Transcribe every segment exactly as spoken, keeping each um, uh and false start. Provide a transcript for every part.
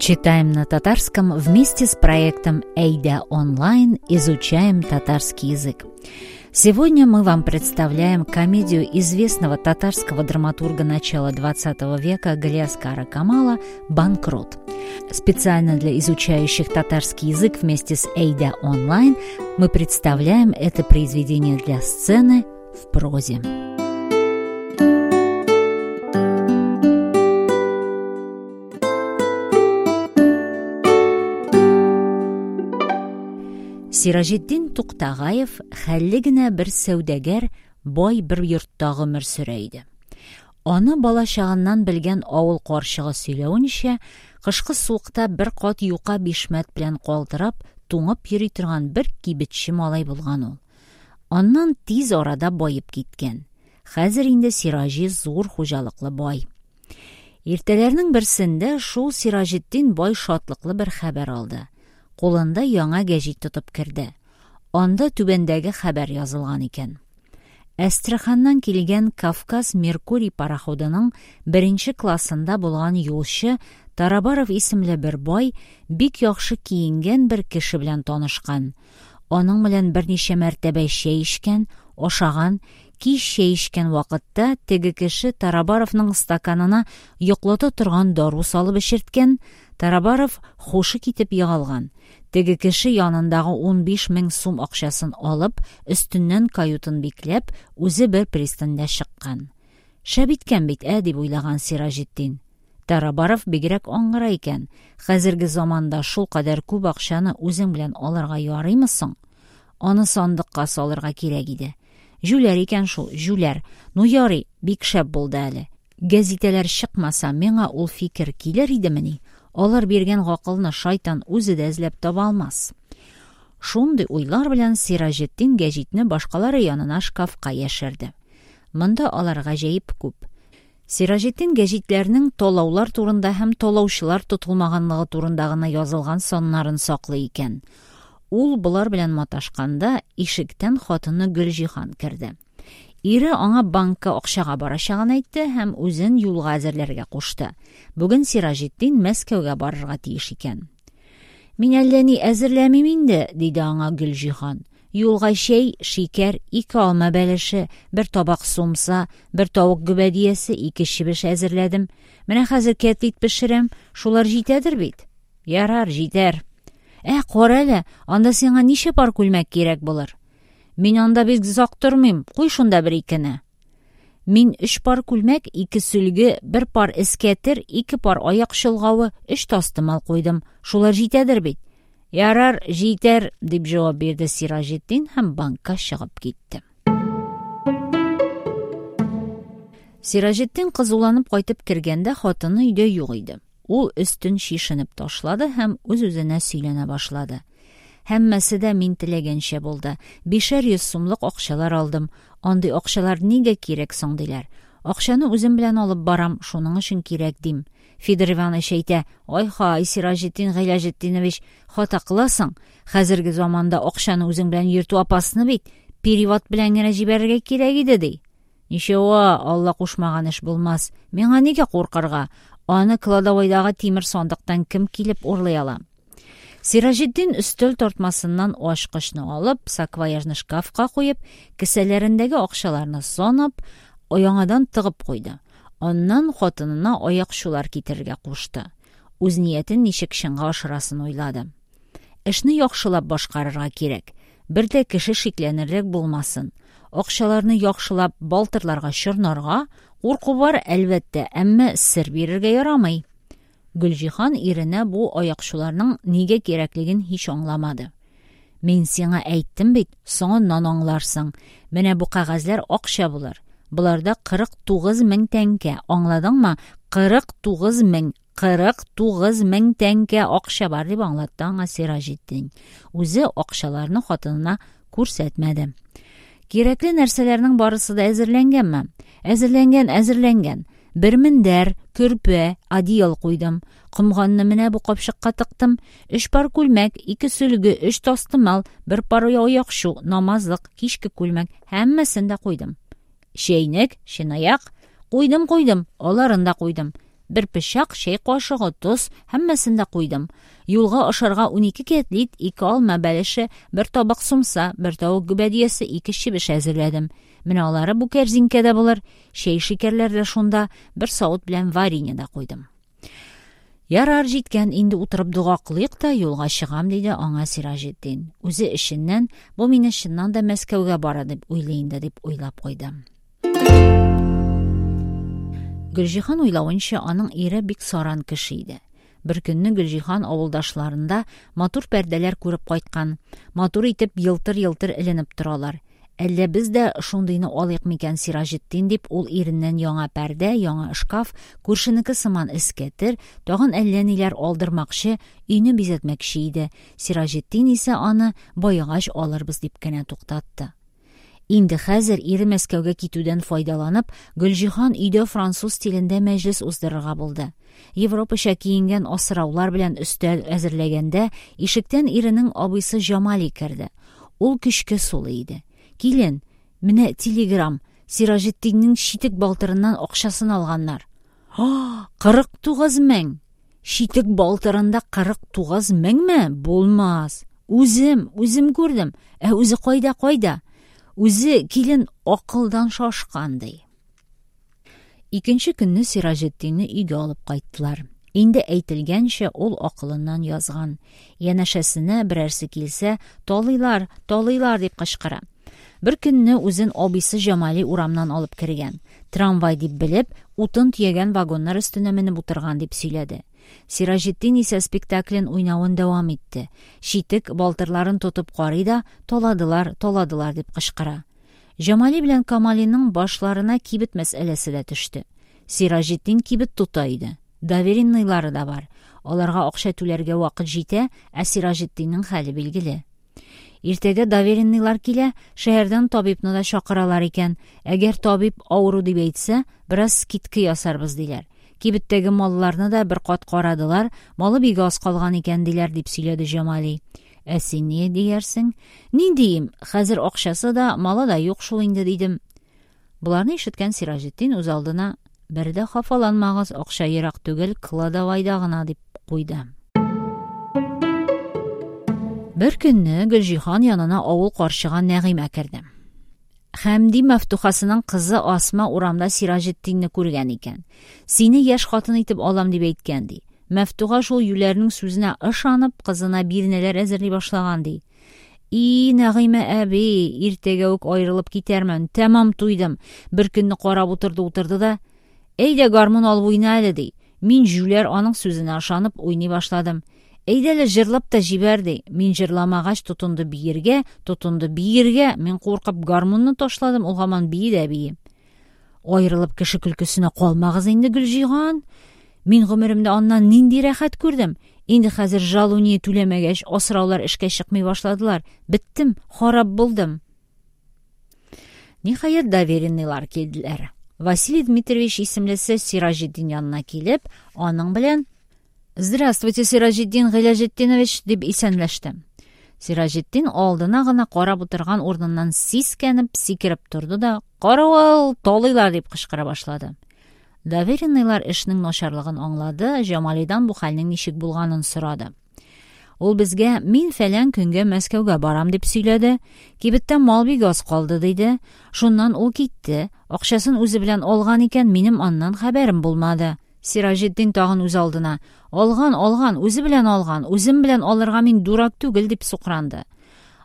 Читаем на татарском вместе с проектом Әйдә онлайн, изучаем татарский язык. Сегодня мы вам представляем комедию известного татарского драматурга начала двадцатого века Галиаскара Камала «Банкрот». Специально для изучающих татарский язык вместе с Әйдә онлайн мы представляем это произведение для сцены в прозе. Сираҗетдин Туктагаев хәлле генә бер сәүдәгәр, бай бер йортта гомер сөрә иде. Аны бала чагыннан белгән авыл карчыгы сөйләвенчә, кышкы суыкта бер кат юка бишмәт белән калтырап, туңып йөри торган бер кибетче малай булган ул. Аннан тиз арада баеп киткән. Хәзер инде Сираҗи зур хуҗалыклы бай. Иртәләрнең берсендә шул Сираҗетдин бай шатлыклы бер хәбәр алды. Кулында яңа гәҗит тотып керде. Анда түбәндәге хәбәр язылган икән. Әстерханнан килгән Кавказ Меркурий пароходының беренче классында булган юлчы Тарабаров исемле бер бай бик яхшы киенгән бер кеше белән танышкан. Аның белән берничә мәртәбә чәй эчкән, ашаган, кич чәй эчкән вакытта теге кеше Тарабаровның стаканына йоклата торган дару салып эчерткән, Тарабаров хушы китеп егылган. Теге кеше янындагы унбиш мең сум акчасын алып, өстеннән каютын бикләп, үзе бер пристаньда чыккан. Шәп иткән бит, ә, дип уйлаган Сираҗетдин. Тарабаров бигрәк аңгыра икән. Хәзерге заманда шул кадәр күп акчаны үзең белән алырга ярыймы соң? Аны сандыкка салырга кирәк иде. Җүләр икән шул, җүләр. Ну ярый, бик шәп булды әле. Гәзитәләр чыкмаса, миңа ул фикер килер идемени? Алар биргән гакылны шайтан үзе дә эзләп таба алмас. Шундый уйлар белән Сираҗетдин гәҗитне башкалары янына шкафка яшерде. Монда алар гаҗәеп күп. Сираҗетдин гәҗитләрнең талаулар турында һәм талаучылар тотылмаганлыгы турында гына язылган саннарын саклый икән. Ул болар белән маташканда ишектән хатыны Гөлҗиһан керде. Ире аңа банкка акчага барачагын әйтте һәм үзен юлга әзерләргә кушты. Бүген Сираҗетдин Мәскәүгә барырга тиеш икән. Мин әллә ни әзерләмим инде, диде аңа Гөлҗиһан. Юлга чәй, шикәр, ике алма бәлеше, бер табак сумса, бер тавык гөбәдиясе, ике чебеш әзерләдем. Менә хәзер кәтлит пешерәм, шулар җитәдер бит? Ярар, җитәр. Ә, кара әле, анда сиңа ничә пар күлмәк кирәк булыр? Мин анда бик озак тормыйм, куй шунда бер икене. Мин өч пар күлмәк, ике сөлге, бер пар эскәтер, ике пар аяк чолгавы, өч тастымал куйдым. Шулар җитәдер бит? Ярар, җитәр, дип җавап бирде Сираҗетдин һәм банкка чыгып китте. Сираҗетдин кызуланып кайтып кергәндә хатыны өйдә юк иде. Ул өстен чишенеп ташлады һәм үз-үзенә сөйләнә башлады. Һәммәсе дә мин теләгәнчә булды. Бишәр йөз сумлык акчалар алдым. Андый акчалар нигә кирәк соң диләр. Акчаны үзем белән алып барам, шуның өчен кирәк дим. Федор Иванович әйтә, Ай-хай, Сираҗетдин Гыйләҗетдинович, хата кыласың. Хәзерге заманда акчаны үзең белән йөртү опасно бит. Перевод белән генә җибәрергә кирәк иде ди. Ничего, Алла кушмаган эш булмас. Миңа нигә куркырга? Аны кладовойдагы тимер сандыктан кем килеп урлый ала? Сираҗетдин өстәл тартмасыннан ачкычны алып, саквояжны шкафка куеп, кесәләрендәге акчаларны санап, яңадан тыгып куйды. Аннан хатынына аякчулар китерергә кушты. Үз ниятен ничек чынга ашырасын уйлады. Эшне яхшылап башкарырга кирәк. Бер дә кеше шикләнерлек булмасын. Акчаларны яхшылап балтырларга чорнарга, курку бар, әлбәттә, әмма сер бирергә ярамый. Гөлҗиһан иренә бу аякчуларның нигә кирәклеген һич аңламады. Мин сиңа әйттем бит, соңыннан аңларсың. Менә бу кәгазьләр акча булыр. Буларда кырык тугыз мең тәңкә, аңладыңмы? Кырык тугыз мең, кырык тугыз мең тәңкә акча бар дип аңлатты аңа Сираҗетдин. Үзе акчаларны хатынына күрсәтмәде. Кирәкле нәрсәләрнең барысы да әзерләнгәнме? Әзерләнгән, әзерләнгән. Бер мендәр, көрпә, одеял куйдым. Комганны менә бу капчыкка тыктым. Өч пар күлмәк, ике сөлге, өч тастымал, бер пар аякчу, намазлык, кичке күлмәк, һәммәсен дә куйдым. Чәйнек, чынаяк, куйдым, куйдым, аларын да куйдым. Бер пычак, чәй кашыгы, тоз, һәммәсен дә куйдым. Юлга ашарга унике кәтлит, ике алма бәлеше, бер табак сумса, бер тавык гөбәдиясе, ике чебеш әзерләдем. Менә алары бу кәрзинкәдә булыр. Чәй-шикәрләр дә шунда, бер савыт белән варенье да куйдым. Ярар, җиткән, инде утырып дога кылыйк та юлга чыгам, диде аңа Сираҗетдин. Үзе эченнән, бу мине чыннан да Мәскәүгә бара дип уйлый инде, дип уйлап куйды. Гөлҗиһан уйлавынча, аның ире бик саран кеше иде. Бер көнне Гөлҗиһан авылдашларында матур пәрдәләр күреп кайткан. Матур итеп елтыр-елтыр эленеп торалар. Әллә без дә шундыйны алыйк микән, Сираҗетдин, дип ул иреннән яңа пәрдә, яңа шкаф, күршенеке сыман эскәтер, тагын әллә ниләр алдырмакчы, өйне бизәтмәкче иде. Сираҗетдин исә аны баегач алырбыз дип кенә туктатты. Инде хәзер ире Мәскәүгә китүдән файдаланып, Гөлҗиһан өйдә француз стилендә мәҗлес уздырырга булды. Европача киенгән асраулар белән өстәл әзерләгәндә, ишектән иренең абыйсы Җамали керде. Ул көчкә сулый иде. Килен, менә телеграм, Сираҗетдиннең читек балтырыннан акчасын алганнар. А, кырык тугыз мең! Читек балтырында кырык тугыз меңме? Булмас. Үзем, үзем күрдем. Ә үзе кайда, кайда? Үзе килен акылдан шашкан, ди. Икенче көнне Сираҗетдинне өйгә алып кайттылар. Инде әйтелгәнчә, ул акылыннан язган. Янәшәсенә берәрсе килсә, талыйлар, талыйлар дип кычкыра. Бер көнне үзен абыйсы Җамали урамнан алып кергән. Трамвай дип белеп, утын төягән вагоннар өстенә менеп утырган дип сөйләде. Сираҗетдин исә спектаклен уйнавын дәвам итте. Читек балтырларын тотып карый да, таладылар, таладылар дип кычкыра. Җамали белән Камалиның башларына кибет мәсьәләсе дә төште. Сираҗетдин кибет тота иде. Доверенныйлары да бар. Аларга акча түләргә вакыт җитә, ә Сираҗетдиннең хәле билгеле. Иртәгә доверенныйлар килә, шәһәрдән табибны да чакыралар икән. Әгәр табиб авыру дип әйтсә, бераз скидка ясарбыз диләр. Кибеттәге малларны да бер кат карадылар, малы бик аз калган икән диләр, дип сөйләде Җамали. Ә син ни диярсең? Ни диим? Хәзер акчасы да, малы да юк шул инде, дидем. Боларны ишеткән Сираҗетдин үз алдына: бер дә хафаланмагыз, акча ерак түгел, кладовайда гына, дип куйды. Бер көнне Гөлҗиһан янына авыл карчыга Нәгыймә керде. Хәмди Мәфтухасының кызы Асма урамда Сираҗетдинне күргән икән. Сине яшь хатын итеп алам дип әйткән, ди. Мәфтуха шул юләрнең сүзенә ышанып, кызына бирнәләр әзерли башлаган, ди. И, Нәгыймә әби, иртәгә үк аерылып китәрмен, тәмам туйдым. Бер көнне карап утырды-утырды да, әйдә гармун алып уйна әле, ди. Мин җүләр аның сүзенә ышанып уйный башладым. Әйдә әле җырлап та җибәр, ди. Мин җырламагач тотынды биергә, тотынды биергә. Мин куркып гармунны ташладым, ул һаман бии дә бии. Аерылып кеше көлкесенә калмагыз инде, Гөлҗиһан. Мин гомеремдә аннан нинди рәхәт күрдем. Инде хәзер жалуния түләмәгәч, асраулар эшкә чыкмый башладылар. Беттем, харап булдым. Ниһаять, доверенныйлар килделәр. Василий Дмитриевич исемлесе Сираҗетдин янына килеп, аның белән: Здравствуйте, Сираҗетдин Гыйләҗетдинович, дип исәнләште. Сираҗетдин алдына гына карап утырган урыныннан сискәнеп, сикереп торды да, Каравыл, талыйлар, дип кычкыра башлады. Доверенныйлар эшнең начарлыгын аңлады, Җамалидан бу хәлнең ничек булганын сорады. Ул безгә мин фәлән көнгә Мәскәүгә барам дип сөйләде. Кибеттә мал бик аз калды диде. Шуннан ул китте. Акчасын үзе белән алган икән, минем аннан хәбәрем булмады. Сираҗетдин тагын үз алдына: Алган, алган, үзе белән алган, үзем белән алырга мин дурак түгел, дип сукранды.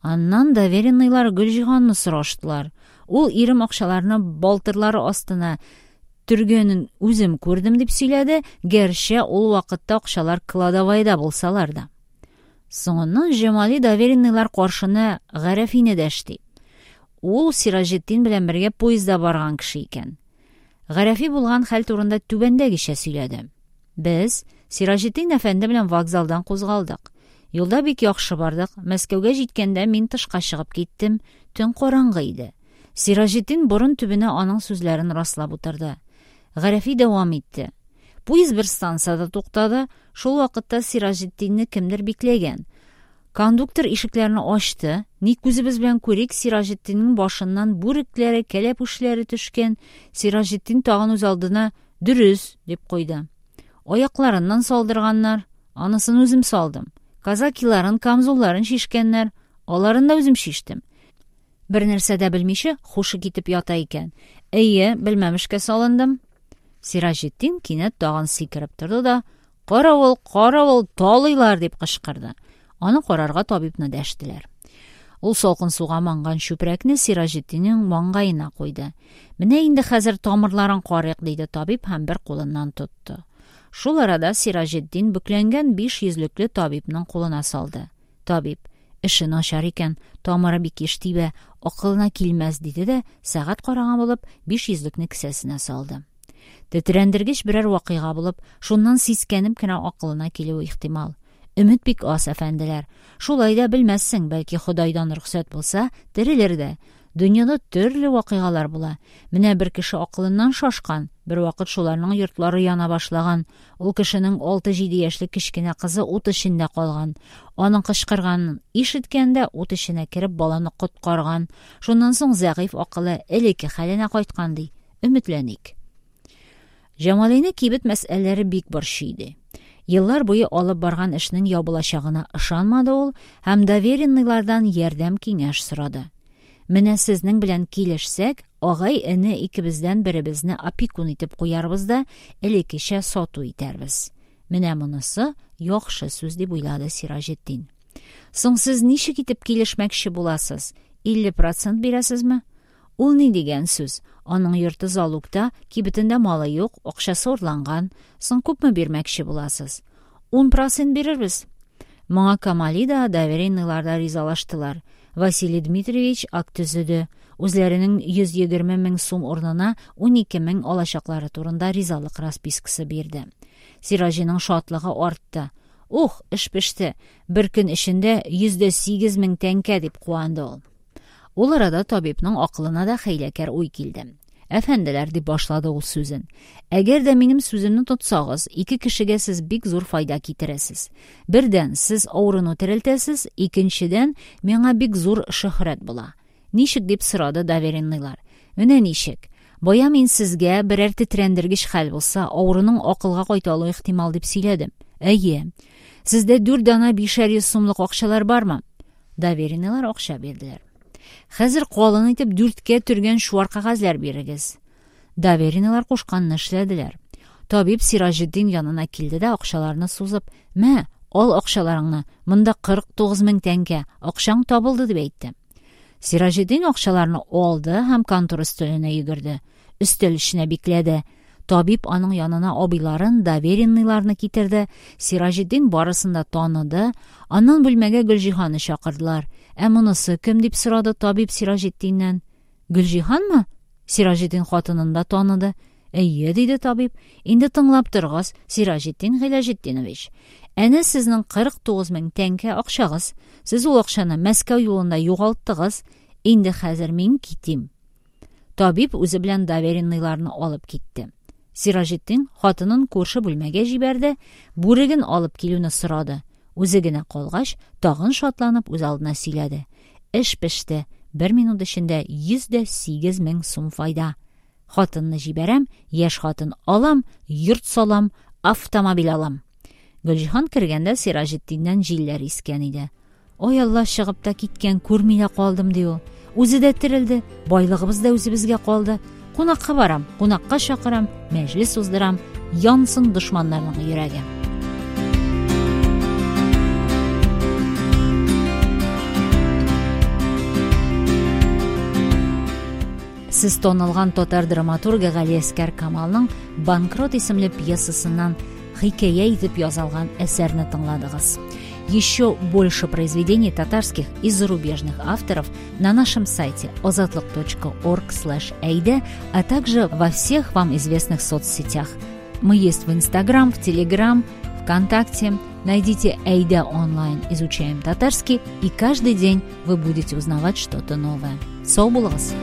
Аннан доверенныйлар Гөлҗиһанны сораштылар. Ул ирем акчаларны балтырлары астына төргәнен үзем күрдем дип сөйләде, гәрчә ул вакытта акчалар кладовайда булсалар да. Соңыннан Җамали доверенныйлар каршына Гарәфине дәште. Ул Сираҗетдин белән бергә поездда барган кеше икән. Гарәфи булган хәл турында түбәндәгечә сөйләде. Без Сираҗетдин әфәнде белән вокзалдан кузгалдык. Юлда бик яхшы бардык. Мәскәүгә җиткәндә мин тышка чыгып киттем. Төн караңгы иде. Сираҗетдин борын төбенә аның сүзләрен раслап утырды. Гарәфи дәвам итте. Поезд бер станцияда туктады. Шул вакытта Сираҗетдинне кемдер бикләгән. Кондуктор ишекләрне ачты. Ни күзебез белән күрик, Сираҗетдиннең башыннан бүрекләре, кәләпүшләре төшкән. Сираҗетдин тагын үз алдына: "Дөрес", дип куйды. Аякларыннан салдырганнар. Анысын үзем салдым. Казакиларын, камзулларын чишкәннәр. Аларын да үзем чиштем. Бер нәрсә дә белмичә, хушы китеп ята икән. Әйе, белмәмешкә салындым. Сираҗетдин кинәт тагын сикереп торды да, «Каравыл, каравыл, талыйлар!» дип кычкырды. Аны карарга табибны дәштеләр. Ул салкын суга манган чүпрәкне Сираҗетдиннең маңгаена куйды. «Менә инде хәзер тамырларын карыйк», диде табиб һәм бер кулыннан тотты. Шул арада Сираҗетдин бөкләнгән биш йөзлекле табибның кулына салды. Табиб: «Эше начар икән, тамыры бик еш тибә, акылына килмәс», диде дә, сәгать караган булып, биш йөзлекне кесәсенә салды. Тетрәндергеч берәр вакыйга булып, шуннан сискәнеп кенә акылына килүе ихтимал. Өмет бик аз, әфәнделәр. Шулай да белмәссең, бәлки Ходайдан рөхсәт булса, терелер дә. Дөньяда төрле вакыйгалар була. Менә бер кеше акылыннан шашкан, бер вакыт шуларның йортлары яна башлаган. Ул кешенең алты-җиде яшьлек кечкенә кызы ут эчендә калган. Аның кычкырганын ишеткән дә ут эченә кереп баланы коткарган. Шуннан соң зәгыйфь акылы элекке хәленә кайткан, ди. Өметләник. Җамалине кибет мәсьәләләре бик борчый иде. Еллар буе алып барган эшнең ябылачагына ышанмады ул һәм доверенныйлардан ярдәм киңәш сорады. Менә сезнең белән килешсәк, агай-эне икебездән беребезне опекун итеп куярбыз да, элеккечә сату итәрбез. Менә монысы яхшы сүз дип уйлады Сираҗетдин. Соң сез ничек итеп килешмәкче буласыз? Илле процент бирәсезме? Ул ни дигән сүз? Аның йорты залогта, кибетендә малы юк, акчасы урланган. Соң күпме бирмәкче буласыз? Ун процент бирербез. Моңа Камали да, доверенныйлар да ризалаштылар. Василий Дмитриевич акт төзеде. Үзләренең йөз егерме мең сум урынына ун ике мең алачаклары турында ризалык распискасы бирде. Сираҗиның шатлыгы артты. Ух, эш пеште. Бер көн эчендә йөз дә сигез мең тәңкә дип куанды ул. Ул арада табибның акылына да хәйләкәр уй килде. Әфәнделәр, дип башлады ул сүзен. Әгәр дә минем сүземне тотсагыз, ике кешегә сез бик зур файда китерәсез. Бердән, сез авыруны терелтәсез, икенчедән, миңа бик зур шөһрәт була. Ничек дип сорады доверенныйлар. Менә ничек. Бая мин сезгә берәр тетрәндергеч хәл булса, авыруның акылга кайта алуы ихтимал дип сөйләдем. Әйе. Сездә дүрт дана бишәр йөз сумлык акчалар бармы? Доверенныйлар акча бирделәр. Хәзер калын итеп дүрткә төргән чуар кәгазьләр бирегез. Доверенныйлар кушканны эшләделәр. Табиб Сираҗетдин янына килде дә акчаларны сузып, "Мә, ал акчаларыңны, монда кырык тугыз мең тәңкә, акчаң табылды", дип әйтте. Сираҗетдин акчаларны алды һәм контор өстәленә йөгерде. Өстәл эченә бикләде. Табиб аның янына абыйларын, доверенныйларны китерде. Сираҗетдин барысын да таныды. Аннан бүлмәгә Гөлҗиһанны чакырдылар. Ә монысы кем дип сорады табиб Сираҗетдиннән. Гөлҗиһанмы? Сираҗетдин хатынын да таныды. Әйе, диде табиб. Инде тыңлап торыгыз, Сираҗетдин Гыйләҗетдинович. Әнә сезнең кырык тугыз мең тәңкә акчагыз. Сез ул акчаны Мәскәү юлында югалттыгыз. Инде хәзер мин китим. Табиб үзе белән доверенныйларны алып китте. Сираҗетдин хатынын күрше бүлмәгә җибәрде, бүреген алып килүне сорады. Үзе генә калгач, тагын шатланып үз алдына сөйләде. Эш пеште. Бер минут эчендә йөз дә сигез мең сум файда. Хатынны җибәрәм, яшь хатын алам, йорт салам, автомобиль алам. Гөлҗиһан кергәндә Сираҗетдиннән җилләр искән иде. Ой Алла, чыгып та киткән, күрми дә калдым, ди ул. Үзе дә терелде, байлыгыбыз да үзебезгә калды. Кунакка барам, кунакка чакырам, мәҗлес уздырам, янсын дошманнарның йөрәге. Сез танылган татар драматургы Галиәсгар Камалның «Банкрот» исемле пьесасыннан хикәя итеп язылган әсәрне тыңладыгыз. Еще больше произведений татарских и зарубежных авторов на нашем сайте озатлык точка орг слэш эйде, а также во всех вам известных соцсетях. Мы есть в Инстаграм, в Телеграм, ВКонтакте. Найдите Эйда онлайн «Изучаем татарский», и каждый день вы будете узнавать что-то новое. Сау булыгыз!